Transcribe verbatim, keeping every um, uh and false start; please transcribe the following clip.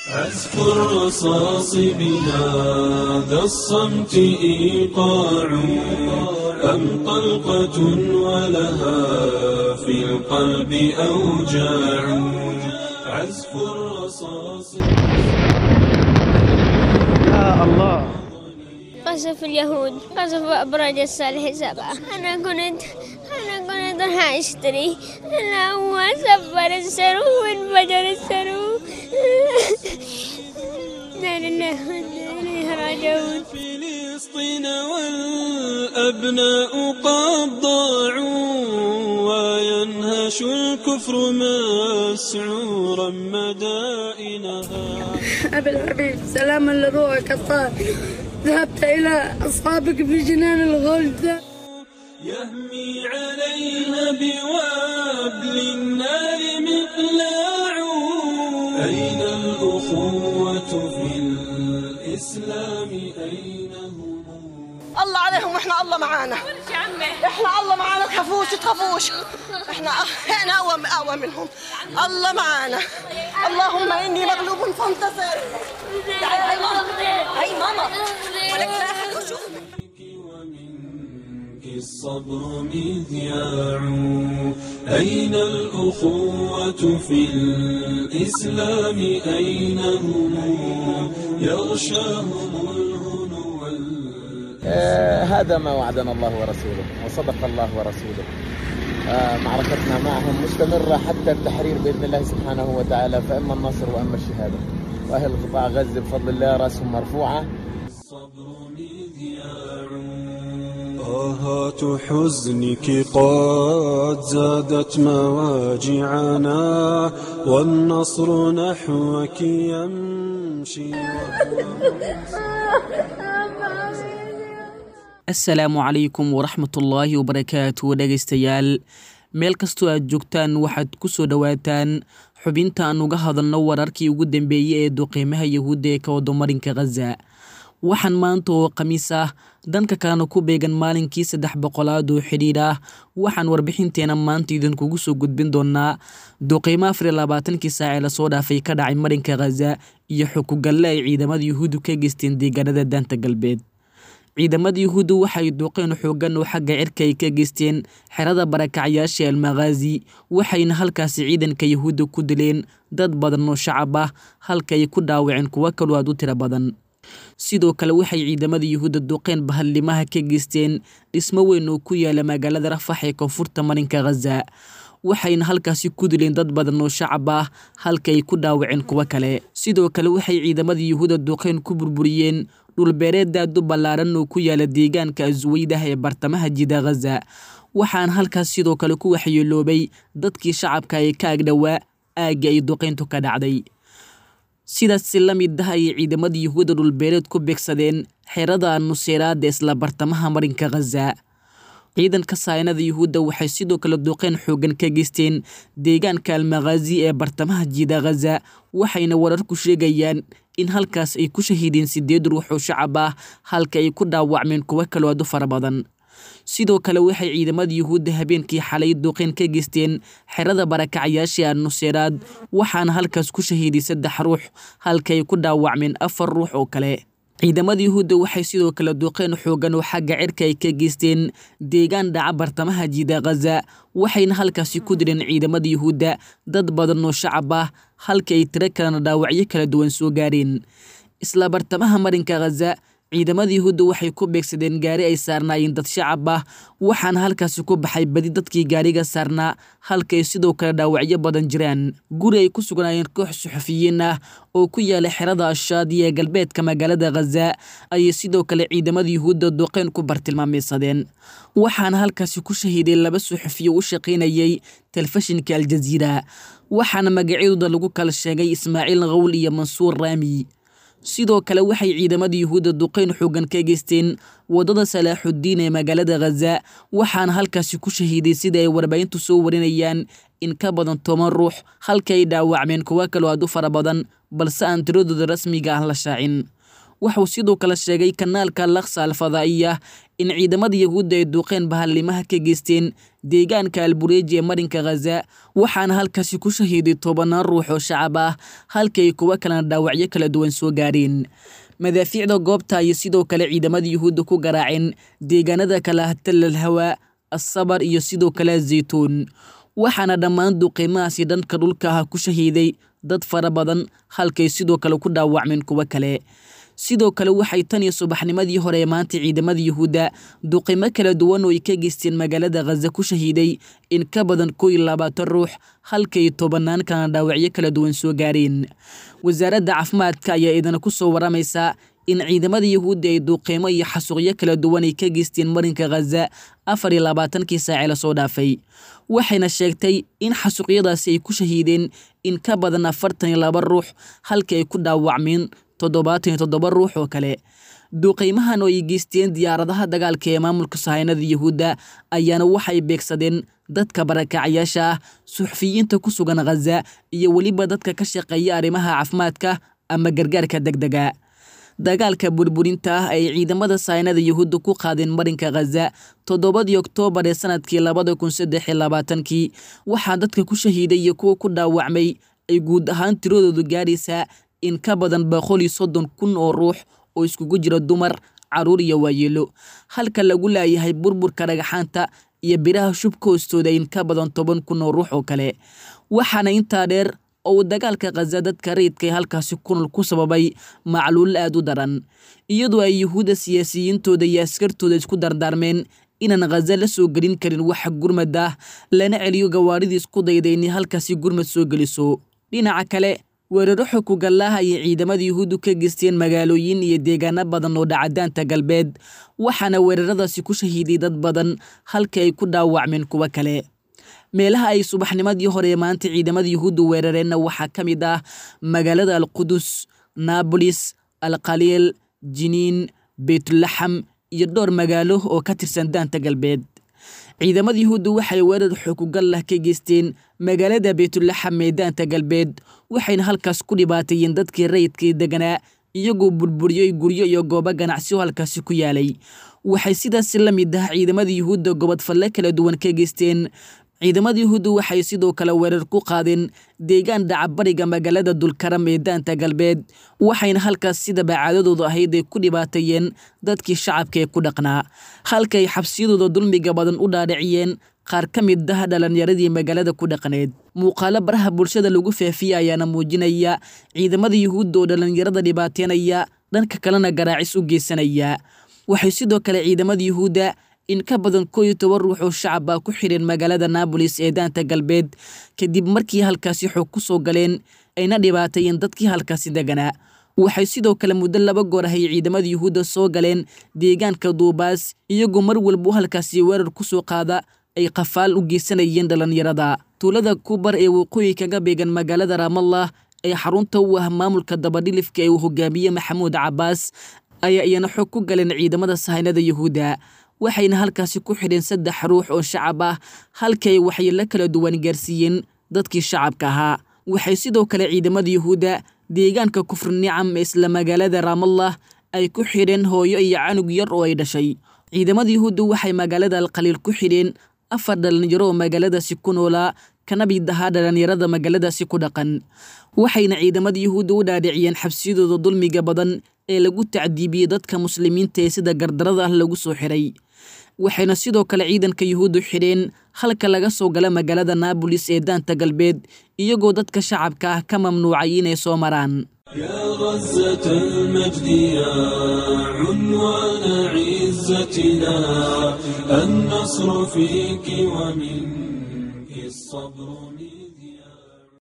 عزف الرصاص بهذا الصمت إيقاع أم طلقة ولها في القلب أوجاع عزف الرصاص. يا الله، قصف اليهود، قصف أبراج الصالح سبعة. أنا كنت أنا كنت راح أشتري، أنا هو سفر السرو وانفجر السرو. لا لله وإنا إليه راجعون. فلسطين والأبناء قد ضاعوا وينهش الكفر مسعورا مدائنها. أبي الحبيب، سلاما لروحك الطاهر، ذهبت إلى أصحابك في جنان الغلد. يهمي عليها بوابل النار مقلاع. أين الأخوة في الإسلام أين هم؟ الله عليهم واحنا الله معانا، احنا الله معانا، تخافوش تخافوش، احنا احنا اقوى اقوى منهم، الله معانا. اللهم اني مغلوب فانتصر. تعالي هاي ماما، هاي ماما، ولك لا احد يشوف. ومنك الصبر مذياع. أين الأخوة في الإسلام أين هم؟ يغشاهم الهنو. آه هذا ما وعدنا الله ورسوله وصدق الله ورسوله. آه معركتنا معهم مستمرة حتى التحرير بإذن الله سبحانه وتعالى، فإما النصر وإما الشهادة. وأهل قطاع غزة بفضل الله رأسهم مرفوعة. الصبر مذياع. آهات حزنك قد زادت مواجعنا والنصر نحوك يمشي. Asalaamu calaykum waraxmatullaahi wabarakaatu. Dhegaystayaal, meel kastoo aad joogtaan, waxaad ku soo dhowaataan xubinta aan uga hadalno wararkii ugu dambeeyey ee duqeymaha Yahuudda ee ka wado marinka Khaza. Waxaan maanta oo Khamiis ah, dhanka kalena ku beegan maalinkii saddex boqolaad oo xidhiidh ah, waxaan warbixinteena maanta idinkugu soo gudbin doonaa duqeymo afar iyo labaatankii saac ee lasoo dhaafay ka dhacay marinka Khaza iyo xukugalle ay ciidamada Yuhuuddu ka geysteen deegaanada Daanta Galbeed. Ciidamada Yuhuuddu waxay duqeen xooggan oo xagga cirka ay ka geysteen xerada barakacyaasha Almakhaazi, waxayna halkaasi ciidanka Yuhuudda ku dileen dad badan oo shacab ah, halka ay ku dhaawaceen kuwo kaloo aad u tiro badan. Sidoo kale waxay ciidamada Yuhuudda duqeen bahallimaha ka geysteen dhismo weyn oo ku yaala magaalada Rafax ee koonfurta marinka Khaza, waxayna halkaasi ku dileen dad badan oo shacab ah, halka ay ku dhaawaceen kuwo kale. Sidoo kale waxay ciidamada Yuhuudda duqeen ku burburiyeen dhulbeereed aad u ballaaran oo ku yaala deegaanka Asweydah ee bartamaha jida Khaza, waxaana halkaas sidoo kale ku waxyeeloobay dadkii shacabka ee ka agdhowaa aagga ay duqeyntu ka dhacday. Sidaas si la mid ah ayay ciidamada Yuhuudda dhulbeereed ku beegsadeen xerada Nuseyraad ee isla bartamaha marinka Khaza. Ciidanka saynada Yuhuudda waxay sidoo kale duqeyn xooggan ka geysteen deegaanka Almakhaazi ee bartamaha jida Khaza, waxayna wararku sheegayaan in halkaas ay ku shahiideen sideed ruux oo shacab ah, halka ay ku dhaawacmeen kuwo kaloo aad u fara badan. Sidoo kale waxay ciidamada Yuhuudda habeenkii xalay duqeyn ka geysteen xerada barakacyaasha Nuseyraad, waxaana halkaas ku shahiiday saddex ruux, halka ay ku dhaawacmeen afar ruux oo kale. Ciidamada Yuhuudda waxay sidoo kale duqeyn xooggan oo xagga cirka ay ka geysteen deegaan dhaca bartamaha jida Khaza, waxayna halkaasi ku dileen ciidamada Yuhuudda dad badan oo shacab ah, halka ay tiro kalena dhaawacyo kala duwan soo gaareen. Isla bartamaha marinka Khaza, ciidamada Yuhuudda waxay ku beegsadeen gaari ay saarnaayeen dad shacab ah, waxaana halkaasi ku baxay badi dadkii gaariga saarnaa, halka ay sidoo kale dhaawacyo badan jiraan. Guri ay ku sugnaayeen koox suxufiyiin ah oo ku yaala xerada Ashaadi ee galbeedka magaalada Khaza ayay sidoo kale ciidamada Yuhuudda duqeyn ku bartilmaameedsadeen, waxaana halkaasi ku shahiiday laba suxufiyo u shaqaynayay telefishinka Aljaziira, waxaana magacyadooda lagu kala sheegay Ismaaciil Qawl iyo Mansuur Raami. Sidoo kale waxay ciidamada Yuhuudda duqeyn xooggan ka geysteen waddada Salaaxuddiin ee magaalada Khaza, waxaana halkaasi ku shahiiday, sida ay warbaahintu soo warinayaan, in ka badan toban ruux, halka ay dhaawacmeen kuwo kaloo aad u fara badan, balse aan tiradooda rasmiga ah la shaacin. Waxuu sidoo kale sheegay kanaalka Al-Aqsa Al-Fadaa'iya in ciidamada Yahuudda ay duqeen bahallimaha ka geysteen deegaanka Albureej ee marinka Ghaza, waxaana halkaasi ku shahiiday tobanaan ruux oo shacab ah, halka ay kuwo kalena dhaawacyo kala duwan soo gaareen. Madaafiicda goobta ayay sidoo kale ciidamada Yuhuudda ku garaaceen deegaanada kala ah Tal Al-Hawa, As-Sabar iyo sidoo kale Zaytuun, waxaana dhammaan duqeymahaasi dhanka dhulka ah ku shahiiday dad fara badan, halkay sidoo kale ku dhaawacmeen kuwo kale. Sidoo kale waxay tan iyo subaxnimadii hore ee maanta ciidamada Yuhuudda duqeymo kala duwan oo ay ka geysteen magaalada Ghaza ku shahiiday in ka badan kow iyo labaatan ruux, halkay tobanaan kalena dhaawacyo kala duwan soo gaareen. Wasaaradda caafimaadka ayaa idana ku soo waramaysa in ciidamada Yuhuudda ay duqeymo iyo xasuuqyo kala duwan ay ka geysteen marinka Ghaza afar iyo labaatankii saace lasoo dhaafay, waxayna sheegtay in xasuuqyadaasi ay ku shahiideen in ka badan afartan iyo laba ruux, halka ay ku dhaawacmeen toddobaatan iyo toddoba ruux oo kale. Duqeymahan oo ay geysteen diyaaradaha dagaalka ee maamulka sahaynada Yuhuudda ayaana waxay beegsadeen dadka barakacyaasha ah, suxufiyiinta ku sugan Ghaza iyo weliba dadka ka shaqeeya arrimaha caafimaadka ama gargaarka degdega. Dagaalka burburinta ah ay ciidamada sahaynada Yuhuudda ku qaadeen marinka Ghaza toddobadii Oktoobar ee sanadkii labada kun saddex iyo labaatankii waxaa dadka ku shahiiday iyo kuwa ku dhaawacmay ay guud ahaan tiradoodu gaadhaysaa in ka badan boqol iyo soddon kun oo ruux oo iskugu jira dumar, caruur iyo waayeelo, halka lagu laayahay burburka dhagaxaanta iyo biraha shubka hoostooda in ka badan toban kun oo ruux oo kale. Waxaana intaa dheer oo uu dagaalka Ghaza dadka rayidka ee halkaasi ku nool ku sababay macluul aad u daran, iyadoo ay Yuhuudda siyaasiyiintooda iyo askartooda isku dardaarmeen inaan Ghaza la soo gelin karin wax gurmad ah, lana celiyo gawaaridii isku dayday inay halkaasi gurmad soo geliso. Dhinaca kale, weeraro xukugallaha ayay ciidamada Yuhuuddu ka geysteen magaalooyin iyo deegaano badan oo dhaca daanta galbeed, waxaana weeraradaasi ku shahiiday dad badan, halka ay ku dhaawacmeen kuwo kale. Meelaha ay subaxnimadii hore ee maanta ciidamada Yuhuuddu weerareenna waxaa ka mid ah magaalada Al-Qudus, Naabolis, Al-Khaliil, Jiniin, Beytulaxam iyo dhowr magaalo oo ka tirsan daanta galbeed. Ciidamada Yuhuuddu waxay weerar xukugal ah ka geysteen magaalada Beytulaxam ee daanta galbeed, waxayna halkaas ku dhibaateeyeen dadkii rayidkii deganaa, iyagoo burburiyey guryo iyo goobo ganacsi oo halkaasi ku yaalay. Waxay sidaas la mid ah ciidamada Yuhuudda gobod falle kala duwan ka geysteen. Ciidamada Yuhuuddu waxay sidoo kale weerar ku qaadeen deegaan dhaca bariga magaalada Dulkaram ee daanta galbeed, waxayna halkaas sida bacaadadoodu ahayd ay ku dhibaateeyeen dadkii shacabka ee ku dhaqnaa, halka ay xabsiyadooda dulmiga badan u dhaadhiciyeen qaar ka mid ah dhalinyaradii magaalada ku dhaqneed. Muuqaalo baraha bulshada lagu faafiyey ayaana muujinaya ciidamada Yuhuudda oo dhalinyarada dhibaateynaya, dhanka kalena garaacis u geysanaya. Waxay sidoo kale ciidamada Yuhuudda in ka badan kow iyo toban ruux oo shacab ah ku xidheen magaalada Naabolis ee daanta galbeed, kadib markii halkaasi xog ku soo galeen ayna dhibaateeyeen dadkii halkaasi deganaa. Waxay sidoo kale muddo laba goor ahay ciidamada Yuhuudda soo galeen deegaanka Duubaas, iyagoo mar walba halkaasi weerar ku soo qaada ay qafaal u geysanayeen dhalinyarada. Tuulada Kubar ee waqooyi kaga beegan magaalada Ramallah ee xarunta u ah maamulka dabadhilifka ee uu hogaamiye Maxamuud Cabbaas ayaa iyana xog ku galeen ciidamada sahaynada Yuhuudda, waxayna halkaasi ku xidheen saddex ruux oo shacab ah, halka ay waxyeello kala duwan gaarsiiyeen dadkii shacabka ahaa. Waxay sidoo kale ciidamada Yuhuudda deegaanka Kufr Nicam ee isla magaalada Ramallah ay ku xidheen hooyo iyo canug yar oo ay dhashay. Ciidamada Yuhuudda waxay magaalada Al-Khaliil ku xidheen afar dhalinyaro oo magaaladaasi ku noolaa, kana mid ahaa dhalinyarada magaaladaasi ku dhaqan, waxayna ciidamada Yuhuudda u dhaadhiciyeen xabsiyadooda dulmiga badan ee lagu tacdiibiyey dadka muslimiinta ee sida gardarada ah lagu soo xiray. Waxayna sidoo kale ciidanka Yuhuuddu xidheen halka laga soo gala magaalada Naabolis ee daanta galbeed, iyagoo dadka shacabka ah ka mamnuucay inay soo maraan. يا غزة المجد يا عنوان عزتنا، النصر فيك ومنك الصبر مذياع.